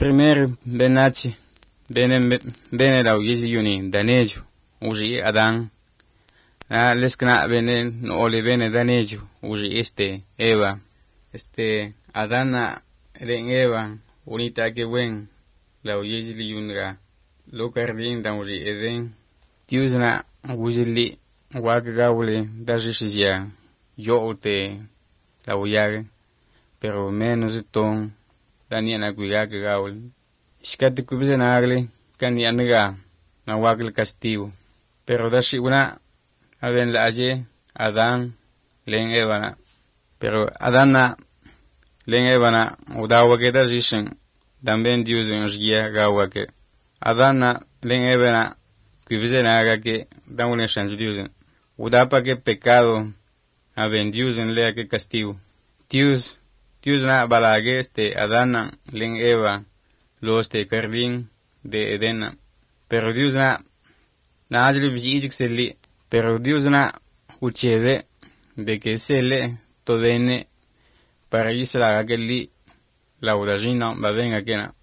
Primeiro, benachi, bene la uyezi yuni, danejo, uji Adán. Leskna bene, no ole bene danejo, uji Eva. Adana, ren Eva, unita que wen, la uyezi li yunga, lo cardin da uji Eden. Tiusna, uji li, wagagawle, dajishizia, yo te, la uyage, pero menos ton, Daniana cuidaga gaul. Iskati kubise nagle, kanianaga, na wagel castigo. Pero dashi una, aben la aje, Adán, len Evana. Pero Adana, len Evana, udawake dajishen, también Dios en os guía gawake. Adana, len Evana, kubise naga que, dawle shanj Dios. Udapa que pecado, aben Dios en lea que castigo. Dios na balage Adana len Eva los jardín de Edena. Pero Dios na ajli bisizik seli. Pero Dios na ucheve de que sele to vene para isla aquelli la uragina va venga kena.